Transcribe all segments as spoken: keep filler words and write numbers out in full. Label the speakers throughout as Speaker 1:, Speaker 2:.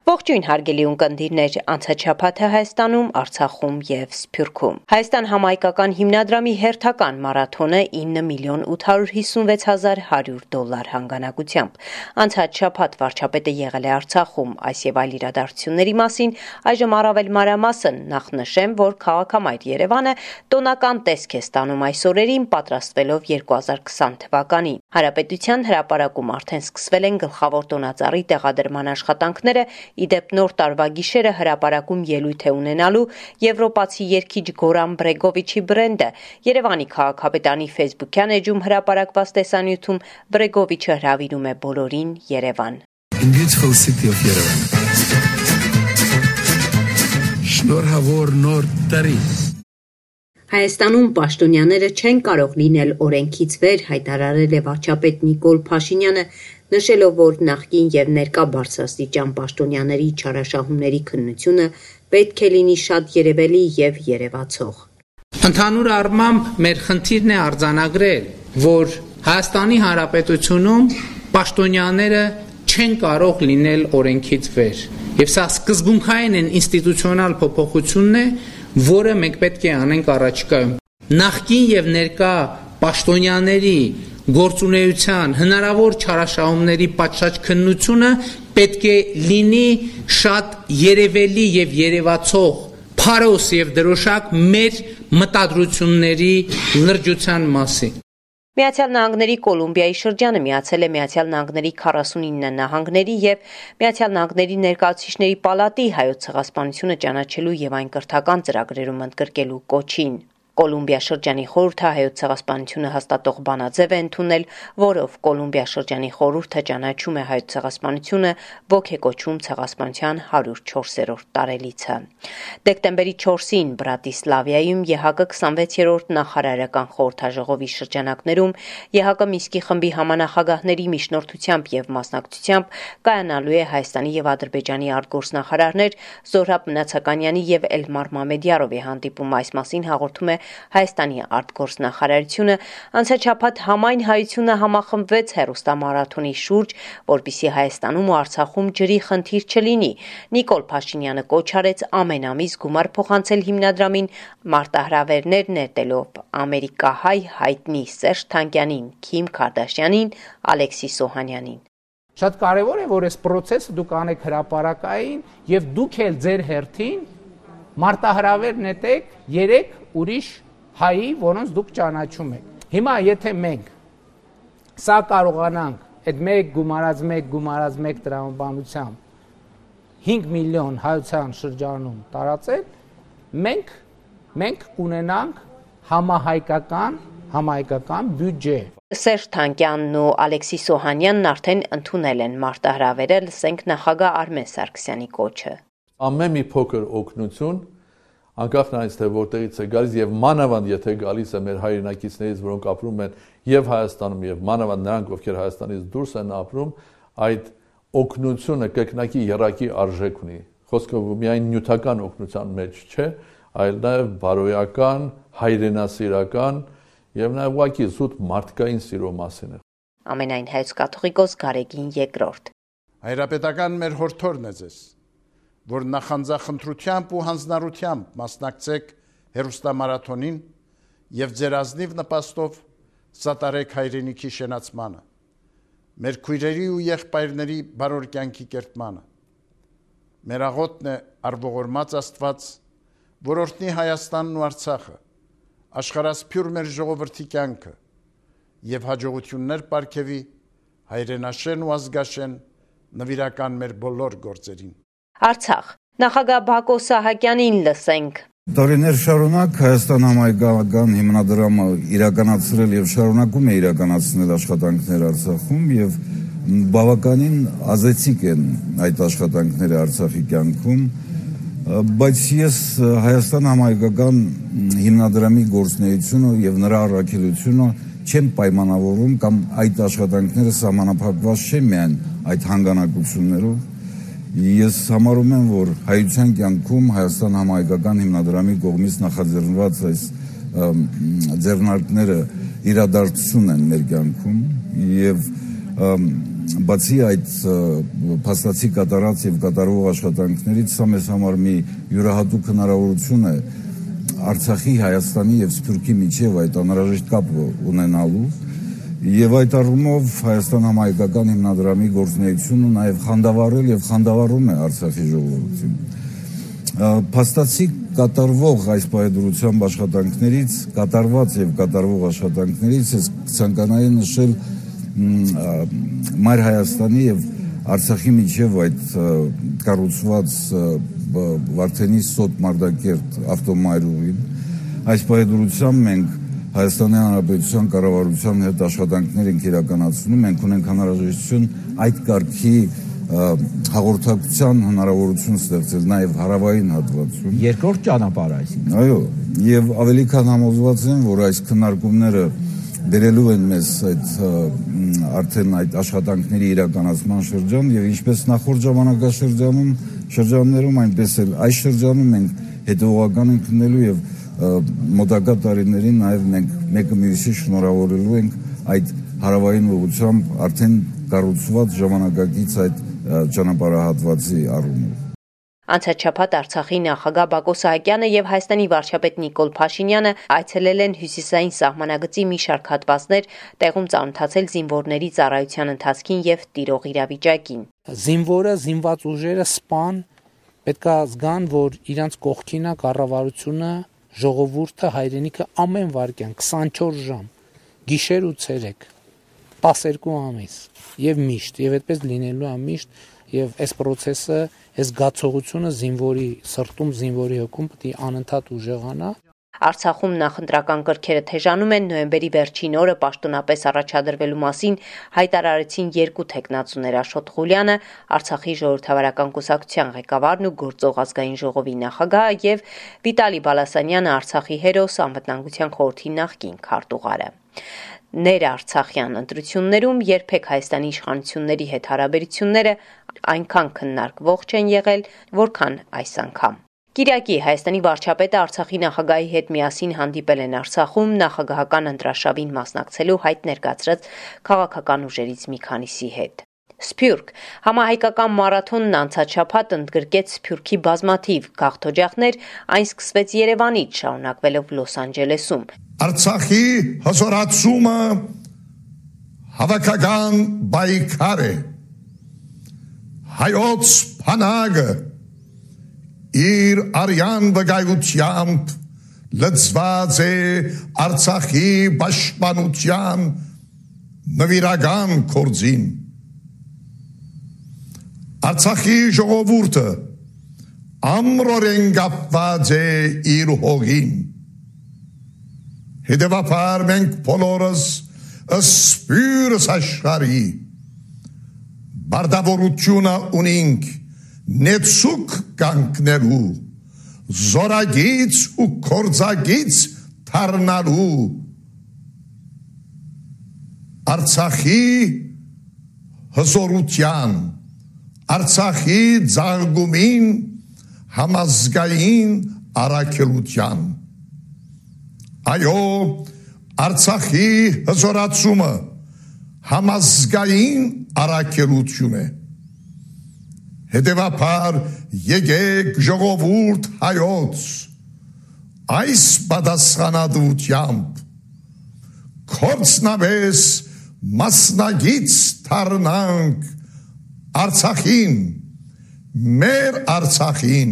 Speaker 1: Ողջույն հարգելի ունկնդիրներ, անցաչափաթը Հայաստանում, Արցախում եւ Սփյուռքում։ Հայաստան համահայկական հիմնադրամի հերթական մարաթոնը ինը միլիոն ութ հարյուր հիսունվեց հազար հարյուր դոլար հանգանակությամբ։ Անցաչափաթ վարչապետը եղել է Արցախում, այս եւ այլ իրադարձությունների մասին այժմ առավել մանրամասն նախ նշեմ, որ քաղաքամայր Երևանը տոնական տեսք է ստանում այս օրերին, պատրաստվելով երկու հազար քսան թվականին։ Հանրապետության հրապարակում արդեն սկսվել են գլխավոր տոնածառի տեղադրման աշխատանքները, իդեպ նոր տարվա գիշերը հրապարակում ելույթ է ունենալու եվրոպացի երգիչ Գորան Բրեգովիչի բրենդը։ Երևանի քաղաքապետարանի ֆեյսբուքյան էջում հրապարակված տեսանյութում Բրեգովիչը հրավիրում է բոլորին Երևան։
Speaker 2: Beautiful city of Yerevan. Շնորհավոր նոր տարի։
Speaker 1: Հայաստանում պաշտոնյաները չեն կարող լինել օրենքից վեր, հայտարարել է վարչապետ Նիկոլ Փաշինյանը, նշելով, որ նախկին եւ ներկա բարձրաստիճան պաշտոնյաների չարաշահումների քննությունը պետք է լինի շատ երևելի եւ երևացող։
Speaker 3: Ընդհանուր առմամբ մեր խնդիրն է արձանագրել, որ Հայաստանի Հանրապետությունում պաշտոնյաները չեն կարող լինել օրենքից վեր։ Եվ սա սկզբունքային են ինստիտուցիոնալ փոփոխությունն է, որը մենք պետք է անենք առաջիկայում։ Նախկին եւ ներկա պաշտոնյաների գործունեության հնարավոր չարաշահումների պատշաճ քննությունը պետք է լինի շատ երևելի եւ երևացող փարոս եւ դրոշակ մեր մտադրությունների լրջության մասին։
Speaker 1: Միացյալ Նահանգների Կոլումբիայի շրջանը միացել է Միացյալ Նահանգների քառասունինը նահանգների եւ Միացյալ Նահանգների ներկայացուցիչների պալատի հայոց ցեղասպանությունը ճանաչելու եւ այն կրթական ծրագրերում ընդգրկելու կոչին։ Կոլումբիա շրջանի խորհուրդը հայոց ցեղասպանությունը հաստատող բանաձև է ընդունել, որով Կոլումբիա շրջանի խորհուրդը ճանաչում է հայոց ցեղասպանությունը, ոգեկոչում ցեղասպանության հարյուր չորսերորդ տարելիցը։ Դեկտեմբերի չորսին Բրատիսլավայում ԵՀԿ քսանվեցերորդ նախարարական խորհրդաժողովի շրջանակներում ԵՀԿ Մինսկի խմբի համանախագահների միջնորդությամբ եւ մասնակցությամբ կայանալու է Հայաստանի եւ Ադրբեջանի արտգործնախարարներ Զոհրաբ Մնացականյանի եւ Էլմար Մամեդյարովի հանդիպում, այս մասին հաղորդում է Հայաստանի արտգործնախարարությունը։ Անցաչափաթ համայն հայությունը համախմբվեց հեռուստամարաթոնի շուրջ, որպեսզի Հայաստանում ու Արցախում ջրի խնդիր չլինի։ Նիկոլ Փաշինյանը կոչ արեց ամեն ամիս գումար փոխանցել հիմնադրամին, մարտահրավերներ նետելով ամերիկահայ հայտնի Սերժ Թանկյանին, Քիմ Քարդաշյանին, Ալեքսիս Օհանյանին։
Speaker 3: Շատ կարևոր է, որ այս process-ը դուք անեք հրապարակային եւ դուք էլ ձեր հերթին մարտահրավեր նետեք երեք ուրիշ հայի, որոնց դուք ճանաչում եք։ Հիմա եթե մենք սա կարողանանք այդ մեկ գումարած մեկ գումարած մեկ տրամաբանությամբ հինգ միլիոն հայության շրջանում տարածել, մենք մենք կունենանք համահայկական համահայկական բյուջե։
Speaker 1: Սերժ Թանկյանն ու Ալեքսիս Օհանյանն արդեն ընդունել են մարտահրավերը, լսենք նախագահ Արմեն Սարգսյանի կոչը։
Speaker 4: Ամեն մի փոքր օգնություն, անկախ նրանից թե որտեղից է գալիս եւ մանավանդ եթե գալիս է մեր հայրենակիցներից, որոնք ապրում են եւ Հայաստանում եւ մանավանդ նրանք, ովքեր Հայաստանից դուրս են ապրում, այդ օգնությունը կրկնակի երակի արժեք ունի։ Խոսքը միայն նյութական օգնության մեջ չէ, այլ նաեւ բարոյական, հայրենասիրական եւ նաեւ ուղղակի զուտ մարդկային սիրո մասին է։
Speaker 1: Ամենայն հայոց կաթողիկոս Գարեգին երկրորդ։
Speaker 5: Հայրապետական մեր հորդորն է ձեզ, որ նախանձախնդրությամբ ու հանձնառությամբ մասնակցեք հեռուստամարաթոնին եւ ձեր ազնիվ նպաստով սատարեք հայրենիքի շենացմանը, մեր քույրերի ու եղբայրների բարոր կյանքի կերտմանը։ Մեր աղոթն է արվողորմած Աստված, որ օրհնի Հայաստանն ու Արցախը, աշխարհասփյուր մեր ժողովրդի կյանքը եւ հաջողություններ պարգևի հայրենաշեն ու ազգաշեն նվիրական մեր բոլոր գործերին։
Speaker 1: Արցախ նախագահ Բակո Սահակյանին լսենք։
Speaker 6: Տարիներ շարունակ Հայաստան համահայկական հիմնադրամը իրականացրել եւ շարունակում է իրականացնել աշխատանքներ Արցախում եւ բավականին ազդեցիկ են այդ աշխատանքները Արցախի կյանքում, բայց ես Հայաստան համահայկական հիմնադրամի գործունեությունը եւ նրա առաքելությունը չեմ պայմանավորում կամ այդ աշխատանքները սահմանափակված չեն միայն այդ հանգանակություններով։ Ես համարում եմ, որ հայության կյանքում Հայաստան համահայկական հիմնադրամի կողմից նախաձեռնված այս ձեռնարկները իրադարձություն են մեր կյանքում եւ բացի այդ փաստացի կատարած եւ կատարվող աշխատանքներից սա մեզ համար մի յուրահատուկ հնարավորություն է Արցախի, Հայաստանի եւ Սփյուռքի միջև այդ անհրաժեշտ կապը ունենալու եւ այդ առումով Հայաստան համահայկական հիմնադրամի գործունեությունը նաեւ խանդավառել եւ խանդավառում է Արցախի ժողովրդին։ Փաստացի կատարվող այս պայդրությամբ աշխատանքներից, կատարված եւ կատարվող աշխատանքներից ես ցանկանայի նշել Մայր Հայաստանի եւ Արցախի միջև այդ կառուցված Վարդենի Սոտ Մարտակերտ ավտոմայրուղին այս պայդրությամբ մենք Հայաստանի Հանրապետության կառավարության հետ աշխատանքներ ենք իրականացնում, մենք ունենք հնարավորություն այդ կարգի հաղորդակցության հնարավորություն ստեղծել նաև հարավային հատվածում։
Speaker 7: Երկրորդ ճանապարհ այսինքն։
Speaker 6: Այո, եւ ավելի քան համոզված եմ, որ այս քննարկումները բերելու են մեզ այդ արդեն այդ աշխատանքների իրականացման շրջան եւ ինչպես նախորդ ժամանակաշրջանում շրջաններում այնպես էլ այս շրջանում մենք հետեւողական ենք լինելու եւ մոտակա տարիներին նաև մենք մեկը մյուսի շնորհավորելու ենք այդ հարավային ուղղությամբ արդեն կառուցված ժամանակակից այդ ճանապարհահատվածի առումով։
Speaker 1: Անցաչափած Արցախի նախագահ Բակո Սահակյանը եւ Հայաստանի վարչապետ Նիկոլ Փաշինյանը այցելել են հյուսիսային սահմանագծի մի շարք հատվածներ, տեղում ծանոթացել զինվորների ծառայության ընթացքին եւ տիրող իրավիճակին։
Speaker 3: Զինվորը, զինված ուժերը, սպան պետք է զգան, որ իրանց կողքին է կառավարությունը, ժողովուրդը, հայրենիքը ամեն վայրկյան քսանչորս ժամ, գիշեր ու ցերեկ, տասներկու ամիս եւ միշտ, եւ այդպես լինելու է միշտ, եւ այս process-ը, այս գացողությունը զինվորի սրտում, զինվորի հոգում պետք է անընդհատ ուժեղանա։
Speaker 1: Արցախում նախընտրական կրքերը թեժանում են, նոյեմբերի վերջին օրը պաշտոնապես առաջադրվելու մասին հայտարարեցին երկու թեկնածուներ Աշոտ Ղուլյանը, Արցախի ժողովրդավարական կուսակցության ղեկավարն ու գործող ազգային ժողովի նախագահը եւ Վիտալի Բալասանյանը, Արցախի հերոս, անվտանգության խորհրդի նախկին քարտուղարը։ Ներարցախյան ընտրություններում երբեք Հայաստանի իշխանությունների հետ հարաբերությունները այնքան քննարկվող չեն եղել, որքան այս անգամ։ Կիրակի Հայաստանի վարչապետը Արցախի նախագահի հետ միասին հանդիպել են Արցախում նախագահական ընտրաշավին մասնակցելու հայտ ներկացրած քաղաքական ուժերից մի քանիսի հետ։ Սփյուռք համահայկական մարաթոնն անցաչափած ընդգրկեց Սփյուռքի բազմաթիվ գաղթօջախներ, այն սկսվեց Երևանից, շարունակվելով Լոս Անջելեսում։
Speaker 2: Արցախի հզորացումը հավաքական պայքար է։ Հայոց բանակը իր արյան վկայությամբ լծված է Արցախի պաշտպանության նվիրական գործին։ Արցախի ժողովուրդը ամրորեն կապված է իր հողին։ Հետևաբար մենք բոլորս սփյուռս աշխարհի բարտավորությունը ունենք նեցուկ կանգնելու, զորագից ու կորձագից դառնալու Արցախի հզորության, Արցախի ծաղկումին համազգային առաքելության։ Այո, Արցախի հզորացումը համազգային առաքելություն է։ Հետևաբար եկեք ժողովուրդ հայոց այս պատասխանատվությամբ կորցնավես մասնագից դառնանք Արցախին, մեր Արցախին,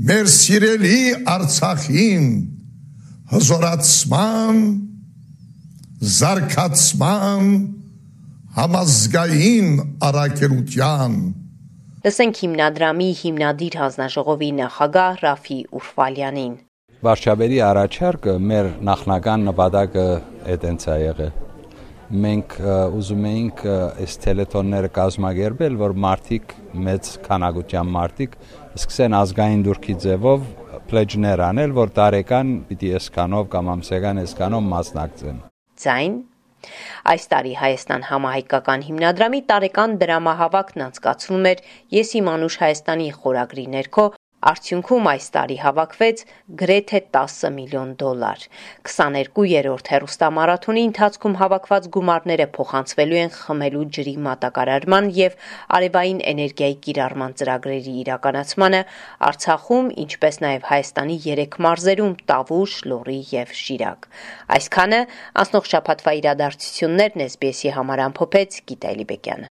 Speaker 2: մեր սիրելի Արցախին, հզորացման, զարգացման, համազգային առաքելության։
Speaker 1: Լսենք հիմնադրամի հիմնադիր հանձնաժողովի նախագահ Ռաֆի Ուրֆալյանին։
Speaker 8: Վարչապետի առաջարկը մեր նախնական նպատակը այդպես է եղել։ Մենք ուզում էինք այս տելեթոնները կազմակերպել, որ մարդիկ, մեծ քանակությամբ մարդիկ սկսեն ազգային դուրքի ձևով պլեջներ անել, որ տարեկան պիտի այսքանով կամ ամսական այսքանով մասնակցեն։
Speaker 1: Ձայն Այս տարի Հայաստան համահայկական հիմնադրամի տարեկան դրամահավաքն անցկացվում էր Ես իմ անուշ Հայաստանի խորագրի ներքո, Արդյունքում այս տարի հավաքվեց գրեթե տասը միլիոն դոլար։ քսաներկուերորդ հեռուստամարաթոնի ընթացքում հավաքված գումարները փոխանցվելու են խմելու ջրի մատակարարման եւ արևային էներգիայի կիրառման ծրագրերի իրականացմանը Արցախում, ինչպես նաեւ Հայաստանի երեք մարզերում՝ Տավուշ, Լոռի եւ Շիրակ։ Այսքանը անցնող շաբաթվա իրադարձություններն էս բի էսի համար ամփոփեց Գիտալի Բեկյանը։